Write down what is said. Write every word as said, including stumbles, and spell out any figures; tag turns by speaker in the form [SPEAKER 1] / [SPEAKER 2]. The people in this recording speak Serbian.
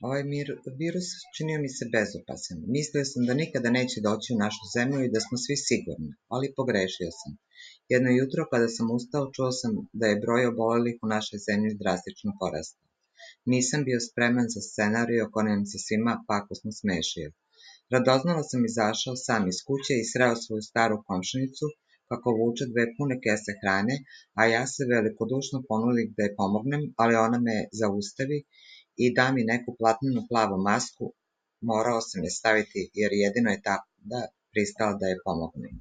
[SPEAKER 1] Ovaj mir, virus činio mi se bezopasan. Mislio sam da nikada neće doći u našu zemlju i da smo svi sigurni, ali pogrešio sam. Jedno jutro kada sam ustao, čuo sam da je broj obolelih u našoj zemlji drastično porastao. Nisam bio spreman za scenariju koji nam se svima pakosno smešio. Radoznalo sam izašao sam iz kuće i sreo svoju staru komšinicu kako vuče dve pune kese hrane, a ja se velikodušno ponudim da je pomognem, ali ona me zaustavi i da mi neku platnenu plavu masku. Morao sam je staviti jer jedino je tada pristala da je pomognem.